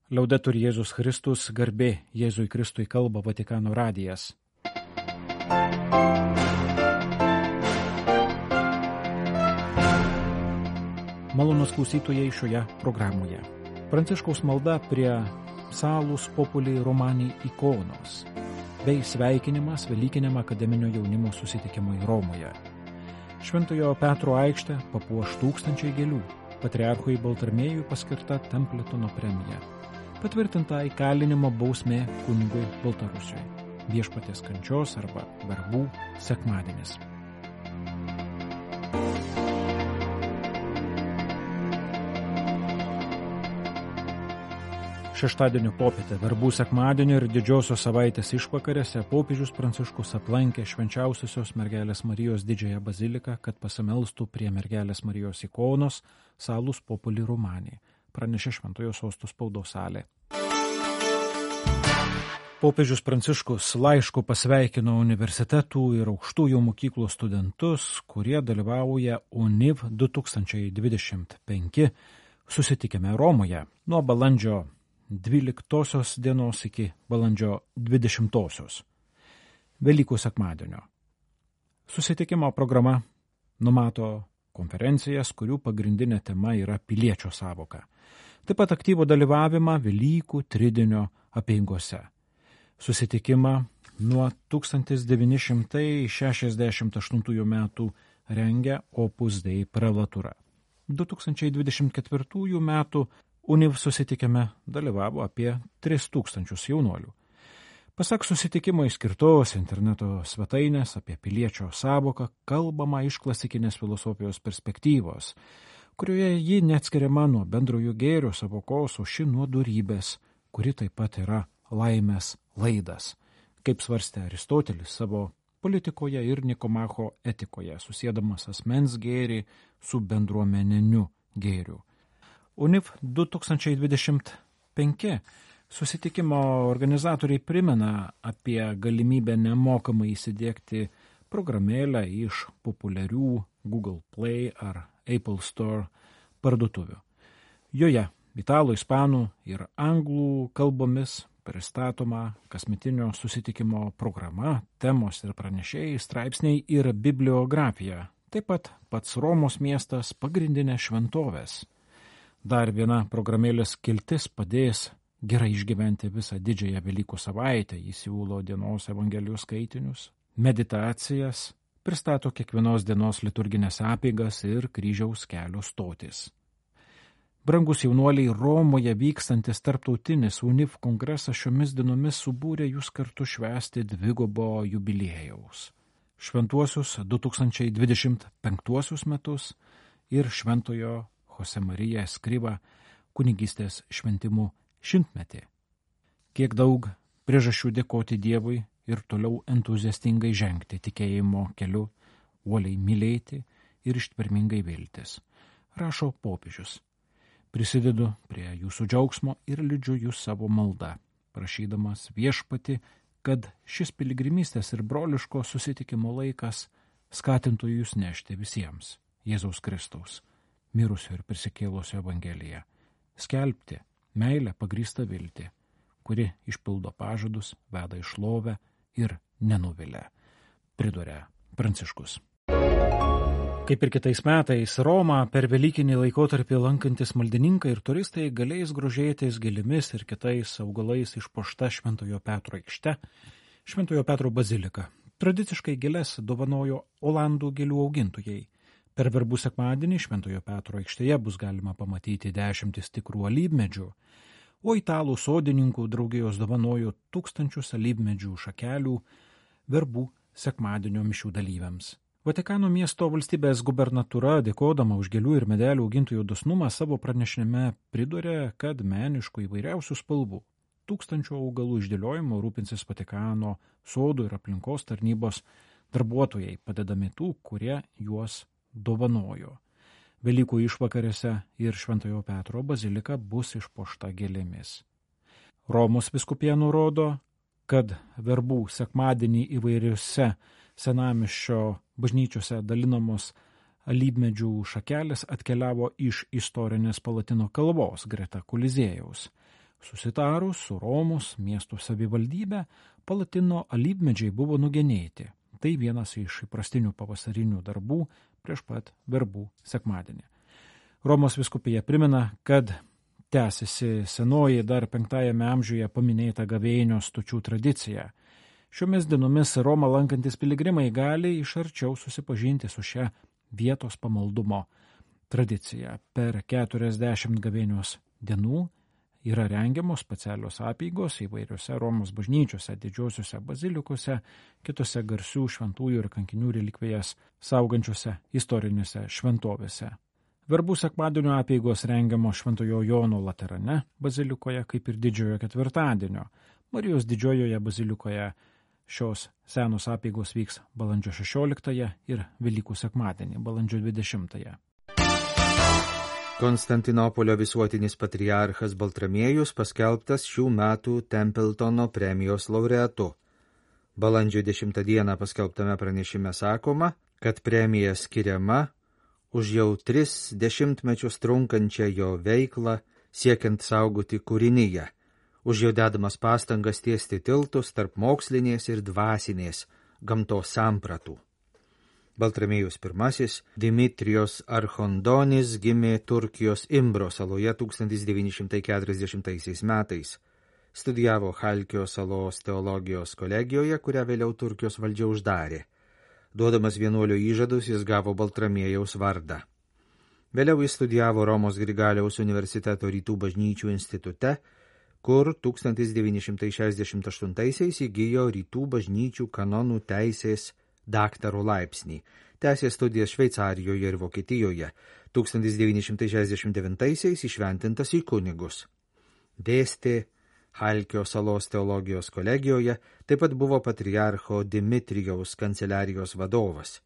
Liaudetur Jėzus Kristus, garbė Jėzui Kristui, kalba Vatikano radijas. Malonūs klausytojai šioje programoje. Pranciškaus malda prie Salus Populi Romani ikonos bei sveikinimas Velykiniam akademinio jaunimo susitikimui Romoje. Šventojo Petro aikštę papuoš tūkstančiai gėlių. Patriarchui Baltramiejui paskirta Templetono premija. Patvirtinta įkalinimo bausmė kunigui Baltarusiui. Viešpaties kančios arba verbų sekmadienis. Šeštadienio popietę, verbų sekmadienio ir didžiosios savaitės išvakarėse popiežius Pranciškus aplankė Švenčiausiosios Mergelės Marijos didžiąją baziliką, kad pasimelstų prie Mergelės Marijos ikonos Salus Populi Romani, pranešė Šventojo Sosto spaudos salė. Popiežius Pranciškus laišku pasveikino universitetų ir aukštųjų mokyklų studentus, kurie dalyvauja UNIV 2025 susitikime Romoje nuo balandžio 12 dienos iki balandžio 20. Velykų sekmadienio. Susitikimo programa numato konferencijas, kurių pagrindinė tema yra piliečio sąvoka. Taip pat aktyvų dalyvavimą Velykų tridienio apeigose. Susitikimą nuo 1968 metų rengia Opus Dei prelatūra. 2024 metų UNIV susitikime dalyvavo apie 3000 jaunuolių. Pasak susitikimo skirtos interneto svetainės apie piliečio sąvoką kalbama iš klasikinės filosofijos perspektyvos, kurioje ji neatskiriama nuo bendrojo gėrio sąvokos, o ši nuo dorybės, kuri taip pat yra laimės laidas, kaip svarstė Aristotelis savo politikoje ir Nikomacho etikoje, susiedamas asmens gėrį su bendruomeniniu gėriu. UNIV 2025 susitikimo organizatoriai primena apie galimybę nemokamai įsidiegti programėlę iš populiarių Google Play ar Apple Store parduotuvių. Joje italų, ispanų ir anglų kalbomis pristatoma kasmetinio susitikimo programa, temos ir pranešėjai, straipsniai ir bibliografija. Taip pat pats Romos miestas, pagrindinė šventovės. Dar viena programėlės skiltis padės gerai išgyventi visą didžiąją Velykų savaitę. Jis siūlo dienos evangelijos skaitinius, meditacijas, pristato kiekvienos dienos liturginės apeigas ir kryžiaus kelio stotis. Brangus jaunuoliai, Romoje vykstantis tarptautinis UNIV kongresas šiomis dienomis subūrė jūs kartu švęsti dvigubo jubiliejaus. Šventuosius 2025 metus ir Šventojo Jose Marija Escriva kunigystės šventimų 100-metį. Kiek daug priežasčių dėkoti Dievui ir toliau entuziastingai žengti tikėjimo keliu, uoliai mylėti ir ištvermingai viltis, rašo popiežius. Prisidedu prie jūsų džiaugsmo ir liudžiu jūs savo maldą, prašydamas viešpatį, kad šis piligrimystės ir broliško susitikimo laikas skatintų jūs nešti visiems Jėzaus Kristaus, mirusio ir prisikėlusio evangeliją, skelbti meilę pagrįstą viltį, kuri išpildo pažadus, veda į šlovę ir nenuvilia, priduria Pranciškus. Kaip ir kitais metais, Romą per velykinį laikotarpį lankantis maldininkai ir turistai galės grožėtis gėlėmis ir kitais augalais išpuošta Šventojo Petro aikšte, Šventojo Petro bazilika. Tradiciškai gėles dovanojo Olandų gėlių augintojai. Per verbų sekmadienį Šventojo Petro aikštėje bus galima pamatyti 10 tikrų alyvmedžių, o italų sodininkų draugijos dovanojo 1000 alyvmedžių šakelių verbų sekmadienio mišių dalyviams. Vatikano miesto valstybės gubernatūra, dėkodama už gėlių ir medelių augintojų dosnumą, savo pranešime pridūrė, kad meniškų įvairiausių spalvų 1000 augalų išdėliojimo rūpinsis Vatikano sodų ir aplinkos tarnybos darbuotojai, padedami tų, kurie juos dovanojo. Velykų išvakarėse ir Šventojo Petro bazilika bus išpuošta gėlėmis. Romos vyskupija nurodo, kad verbų sekmadienį įvairiuose senamiesčio bažnyčiose dalinamos alyvmedžių šakelės atkeliavo iš istorinės Palatino kalvos greta Koliziejaus, Susitarus su Romos miesto savivaldybė, Palatino alyvmedžiai buvo nugenėti. Tai vienas iš įprastinių pavasarinių darbų prieš pat verbų sekmadienį. Romos vyskupija primena, kad tęsiasi senoji dar 5 amžiuje paminėta gavėnios stočių tradicija. Šiomis dienomis Romą lankantis piligrimai gali iš arčiau susipažinti su šia vietos pamaldumo tradicija. Per 40 gavėnios dienų yra rengiamos specialios apeigos įvairiose Romos bažnyčiose, didžiosiuose bazilikose, kitose garsių šventųjų ir kankinių relikvijas saugančiose istorinėse šventovėse. Verbų sekmadienio apeigos rengiamos Šventojo Jono Laterane bazilikoje, kaip ir Didžiojo ketvirtadienio. Marijos Didžiojoje bazilikoje šios senos apeigos vyks balandžio 16 ir Velykų sekmadienį, balandžio 20. Konstantinopolio visuotinis patriarchas Baltramiejus paskelbtas šių metų Templetono premijos laureatu. Balandžio 10 dieną paskelbtame pranešime sakoma, kad premija skiriama už jau 3 dešimtmečius trunkančią jo veiklą siekiant saugoti kūrinyje, už jo dedamas pastangas tiesti tiltus tarp mokslinės ir dvasinės gamtos sampratų. Baltramiejus I Dimitrijos Archondonis gimė Turkijos Imbro saloje 1940 metais. Studijavo Chalkio salos teologijos kolegijoje, kurią vėliau Turkijos valdžia uždarė. Duodamas vienuolio įžadus, jis gavo Baltramiejaus vardą. Vėliau jis studijavo Romos Grigaliaus universiteto Rytų bažnyčių institute, kur 1968 įgijo Rytų bažnyčių kanonų teisės daktaro laipsnį. Tęsė studijas Šveicarijoje ir Vokietijoje. 1969 įšventintas į kunigus. Dėstė Chalkio salos teologijos kolegijoje, taip pat buvo patriarcho Dimitrijaus kanceliarijos vadovas.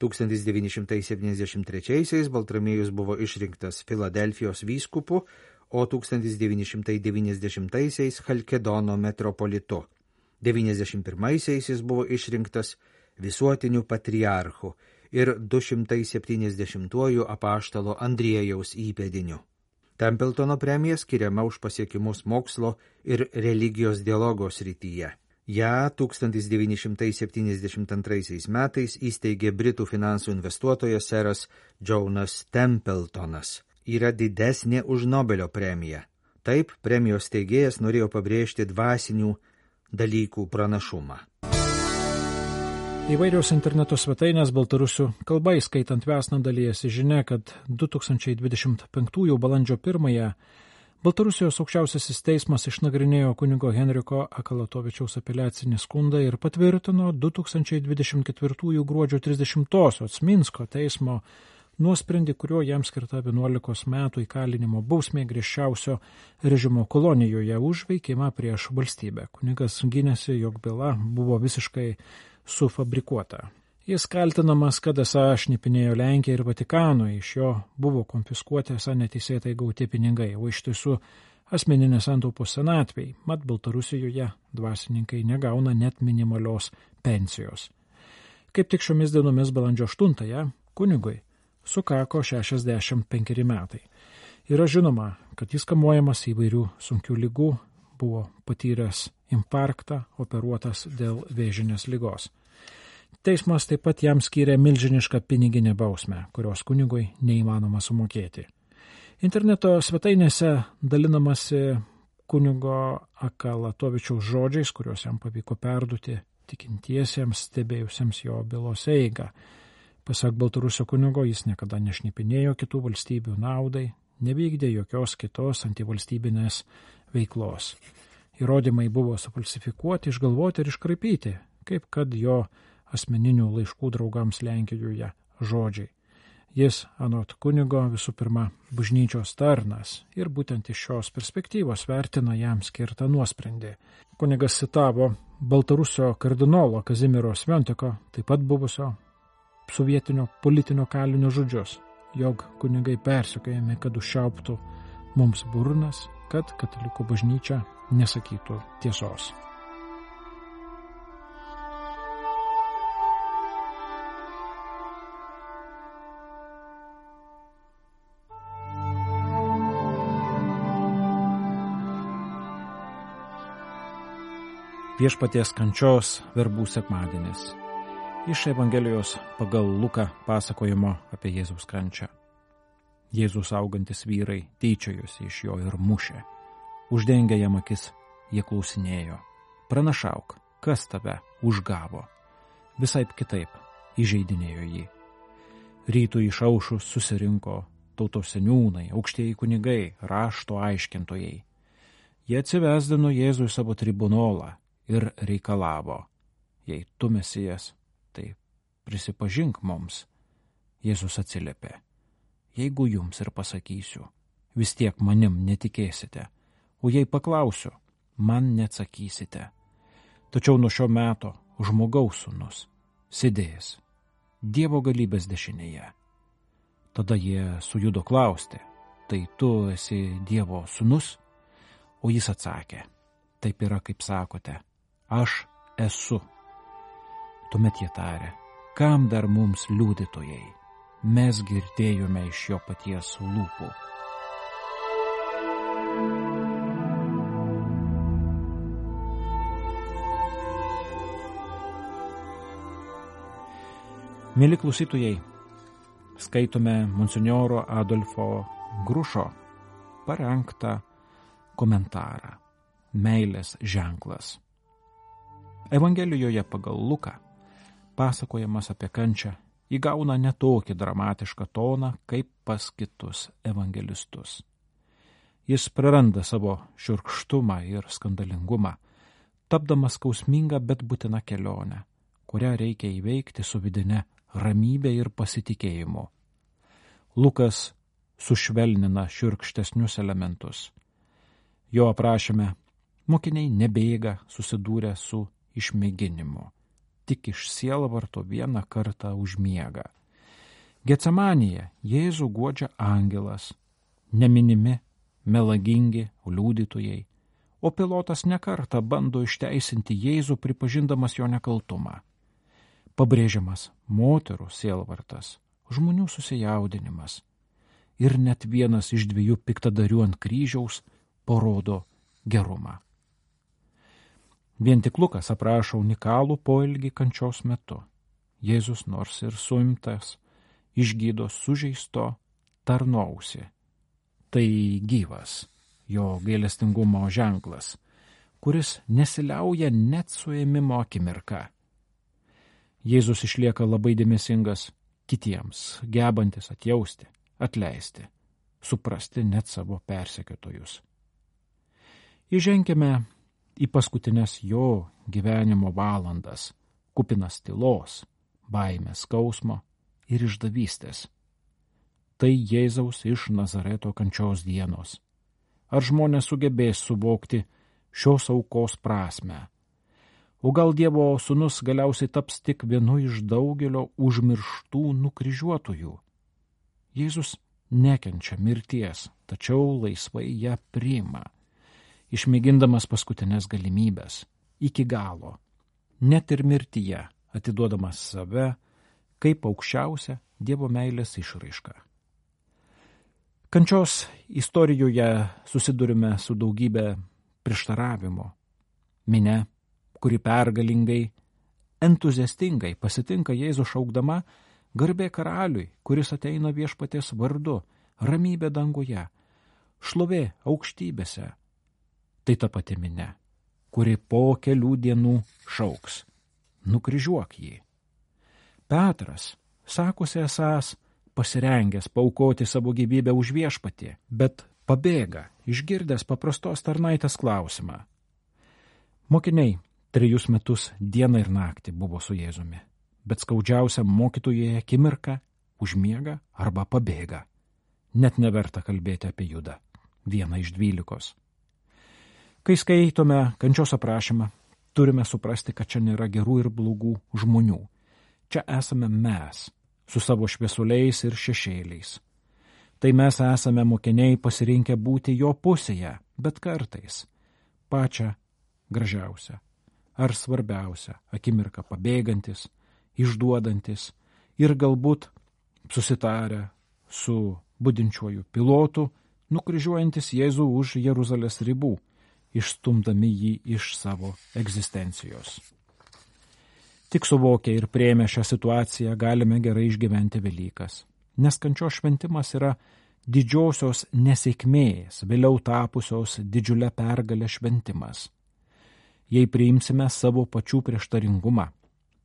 1973 Baltramiejus buvo išrinktas Filadelfijos vyskupu, o 1990 Chalkedono metropolitu. 91 jis buvo išrinktas visuotiniu patriarchu ir 270 apaštalo Andriejaus įpėdiniu. Templetono premija skiriama už pasiekimus mokslo ir religijos dialogo srityje. Ja 1972 metais įsteigė Britų finansų investuotojas seras Jonas Templetonas. Yra didesnė už Nobelio premiją. Taip, premijos steigėjas norėjo pabrėžti dvasinių dalykų pranašumą. Įvairios interneto svetainės baltarusių kalba, įskaitant Vesną, dalyjasi žinia, kad 2025 balandžio 1 Baltarusijos aukščiausiasis teismas išnagrinėjo kunigo Henriko Akalatovičiaus apeliacinį skundą ir patvirtino 2024 gruodžio 30-osios Minsko teismo nuosprendį, kuriuo jam skirta 11 metų įkalinimo bausmė griežčiausio režimo kolonijoje už veikimą prieš valstybę. Kunigas gynėsi, jog byla buvo visiškai sufabrikuota. Jis kaltinamas, kad esą šnipinėjo Lenkiją ir Vatikanui, iš jo buvo konfiskuoti esą neteisėtai gauti pinigai, o iš tiesų asmeninės santaupos senatvei, mat Baltarusijoje dvasininkai negauna net minimalios pensijos. Kaip tik šiomis dienomis balandžio 8 kunigui sukako 65 metai. Yra žinoma, kad jis kamuojamas įvairių sunkių ligų, buvo patyręs infarktą, operuotas dėl vėžinės ligos. Teismas taip pat jam skyrė milžinišką piniginę bausmę, kurios kunigui neįmanoma sumokėti. Interneto svetainėse dalinamasi kunigo Akalatovičiaus žodžiais, kuriuos jam pavyko perduoti tikintiesiems stebėjusiems jo bylos eigą. Pasak Baltarusio kunigo, jis niekada nešnipinėjo kitų valstybių naudai, nevykdė jokios kitos antivalstybinės veiklos. Įrodymai buvo sufalsifikuoti, išgalvoti ir iškraipyti, kaip kad jo asmeninių laiškų draugams Lenkijoje žodžiai. Jis, anot kunigo, visų pirma bažnyčios tarnas ir būtent iš šios perspektyvos vertina jam skirtą nuosprendį. Kunigas citavo Baltarusio kardinolo Kazimiero Sventiko, taip pat buvusio sovietinio politinio kalinio žodžius, jog kunigai persekiojami, kad užčiauptų mums burnas, kad katalikų bažnyčia nesakytų tiesos. Viešpaties kančios verbų sekmadienis. Iš Evangelijos pagal Luką pasakojimo apie Jėzaus kančią. Jėzus augantis vyrai tyčiojosi iš jo ir mušė. Uždengę jam akis, jie klausinėjo: pranašauk, kas tave užgavo? Visaip kitaip įžeidinėjo jį. Rytui išaušus susirinko tautos seniūnai, aukštieji kunigai, rašto aiškintojai. Jie atsivesdino Jėzų į savo tribunolą ir reikalavo: jei tu Mesijas, tai prisipažink mums. Jėzus atsiliepė: jeigu jums ir pasakysiu, vis tiek manim netikėsite, o jei paklausiu, man neatsakysite. Tačiau nuo šio meto žmogaus sūnus sėdės Dievo galybės dešinėje. Tada jie sujudo klausti: tai tu esi Dievo sūnus? O jis atsakė: taip yra, kaip sakote, aš esu. Tuomet jie tarė: kam dar mums liudytojai? Mes girdėjome iš jo paties lūpų. Mėly klausytojai, skaitome monsinjoro Adolfo Grušo parengtą komentarą Meilės ženklas. Evangelijoje pagal Luką pasakojimas apie kančią įgauna netokį dramatišką toną kaip pas kitus evangelistus. Jis praranda savo šiurkštumą ir skandalingumą, tapdamas skausmingą, bet būtina kelionę, kurią reikia įveikti su vidine ramybė ir pasitikėjimu. Lukas sušvelnina šiurkštesnius elementus. Jo aprašyme mokiniai nebėga susidūrę su išmėginimu, tik iš sielvarto vieną kartą užmiega. Getsemanėje Jėzų guodžia angelas, neminimi melagingi liudytojai, o Pilotas nekartą bando išteisinti Jėzų, pripažindamas jo nekaltumą. Pabrėžiamas moterų sielvartas, žmonių susijaudinimas ir net vienas iš 2 piktadarių ant kryžiaus parodo gerumą. Vien tik Lukas aprašo unikalų poelgį kančios metu. Jėzus, nors ir suimtas, išgydo sužeisto tarno ausį. Tai gyvas jo gailestingumo ženklas, kuris nesiliauja net suėmimo akimirką. Jėzus išlieka labai dėmesingas kitiems, gebantis atjausti, atleisti, suprasti net savo persekiotojus. Įženkime į paskutinės jo gyvenimo valandas, kupinas tylos, baimės, skausmo ir išdavystės. Tai Jėzaus iš Nazareto kančios dienos. Ar žmonės sugebės suvokti šios aukos prasmę? O gal Dievo sūnus galiausiai taps tik vienu iš daugelio užmirštų nukryžiuotųjų? Jėzus nekenčia mirties, tačiau laisvai ją priima, išmėgindamas paskutinės galimybės, iki galo, net ir mirtyje atiduodamas save kaip aukščiausia Dievo meilės išraiška. Kančios istorijoje susidurime su daugybė prieštaravimo. Minia, kuri pergalingai, entuziastingai pasitinka Jėzų šaukdama: garbė karaliui, kuris ateina viešpaties vardu, ramybė danguje, šlovė aukštybėse. Tai ta pati minia, kuri po kelių dienų šauks: nukryžiuok jį. Petras sakosi esąs pasirengęs paaukoti savo gyvybę už viešpatį, bet pabėga, išgirdęs paprastos tarnaitės klausimą. Mokiniai 3 metus dieną ir naktį buvo su Jėzumi, bet skaudžiausia mokytojai akimirka užmiega arba pabėga. Net neverta kalbėti apie Judą, vieną iš 12. Kai skaitome kančios aprašymą, turime suprasti, kad čia nėra gerų ir blogų žmonių. Čia esame mes, su savo šviesuliais ir šešėliais. Tai mes esame mokiniai pasirinkę būti jo pusėje, bet kartais pačią gražiausią ar svarbiausią akimirką pabėgantis, išduodantis ir galbūt susitarę su budinčiuoju pilotu, nukryžiuojantis Jėzų už Jeruzalės ribų išstumdami jį iš savo egzistencijos. Tik suvokę ir priėmę šią situaciją galime gerai išgyventi Velykas, nes kančios šventimas yra didžiosios nesėkmės, vėliau tapusios didžiulę pergalę šventimas. Jei priimsime savo pačių prieštaringumą,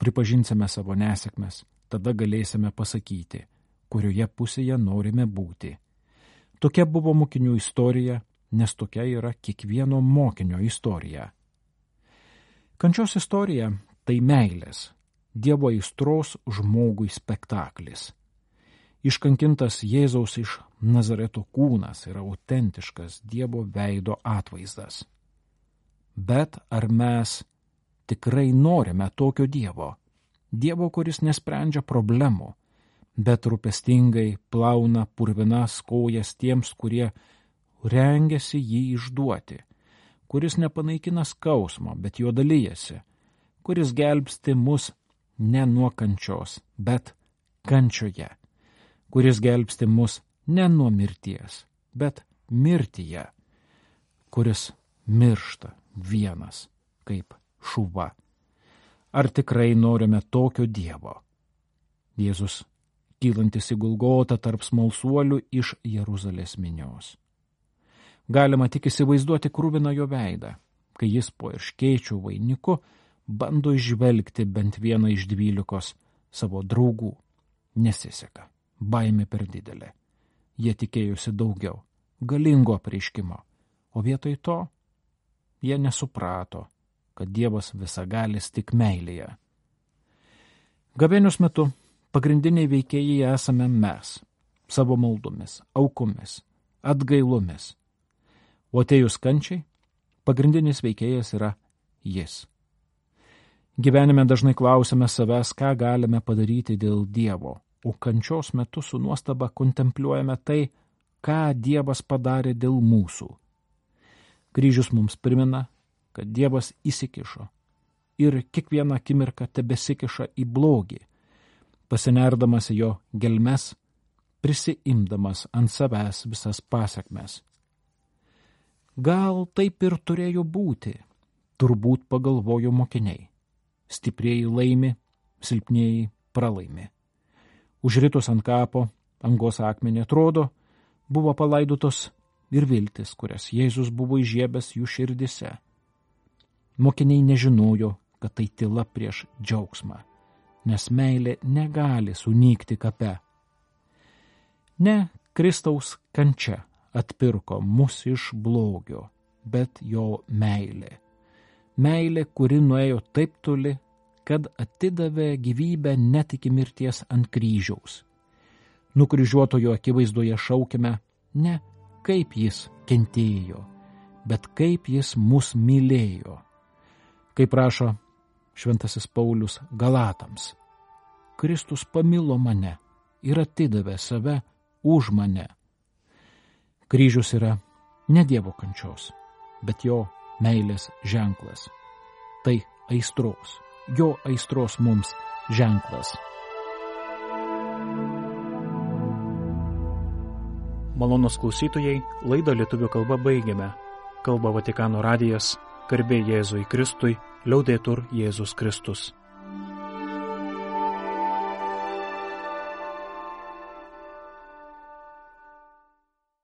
pripažinsime savo nesėkmes, tada galėsime pasakyti, kurioje pusėje norime būti. Tokia buvo mokinių istorija, nes tokia yra kiekvieno mokinio istorija. Kančios istorija tai meilės, Dievo aistros žmogui spektaklis. Iškankintas Jėzaus iš Nazareto kūnas yra autentiškas Dievo veido atvaizdas. Bet ar mes tikrai norime tokio Dievo? Dievo, kuris nesprendžia problemų, bet rūpestingai plauna purvinas kojas tiems, kurie rengiasi jį išduoti, kuris nepanaikina skausmo, bet jo dalyjasi, kuris gelbsti mus ne nuo kančios, bet kančioje, kuris gelbsti mus ne nuo mirties, bet mirtyje, kuris miršta vienas kaip šuva. Ar tikrai norime tokio Dievo? Jėzus, kylantis į Golgotą tarp smalsuolių iš Jeruzalės minios. Galima tik įsivaizduoti kruviną jo veidą, kai jis po erškėčių vainiku bando išvelgti bent vieną iš 12 savo draugų. Nesiseka, baimė per didelė. Jie tikėjosi daugiau, galingo apreiškimo, o vietoj to jie nesuprato, kad Dievas visagalis tik meilėje. Gavėnios metu pagrindiniai veikėjai esame mes, savo maldomis, aukomis, atgailomis. O atėjus kančiai, pagrindinis veikėjas yra jis. Gyvenime dažnai klausime savęs, ką galime padaryti dėl Dievo, o kančios metu su nuostaba kontempliuojame tai, ką Dievas padarė dėl mūsų. Kryžius mums primena, kad Dievas įsikišo ir kiekvieną akimirką tebesikiša į blogį, pasinerdamas į jo gelmes, prisiimdamas ant savęs visas pasekmes. Gal taip ir turėjo būti, turbūt pagalvojo mokiniai. Stiprieji laimi, silpnieji pralaimi. Užritus ant kapo, angos akmenį atrodo, buvo palaidotos ir viltis, kurias Jėzus buvo įžiebęs jų širdise. Mokiniai nežinojo, kad tai tyla prieš džiaugsmą, nes meilė negali sunykti kape. Ne Kristaus kančia atpirko mus iš blogio, bet jo meilė. Meilė, kuri nuėjo taip toli, kad atidavė gyvybę net iki mirties ant kryžiaus. Nukryžiuotojo akivaizdoje šaukime ne kaip jis kentėjo, bet kaip jis mus mylėjo. Kaip rašo šventasis Paulius Galatams, Kristus pamilo mane ir atidavė save už mane. Kryžius yra ne Dievo kančios, bet jo meilės ženklas. Tai aistros, jo aistros mums ženklas. Malonūs klausytojai, laidą lietuvių kalba baigiame. Kalba Vatikano radijas, garbė Jėzui Kristui, liaudetur Jėzus Kristus.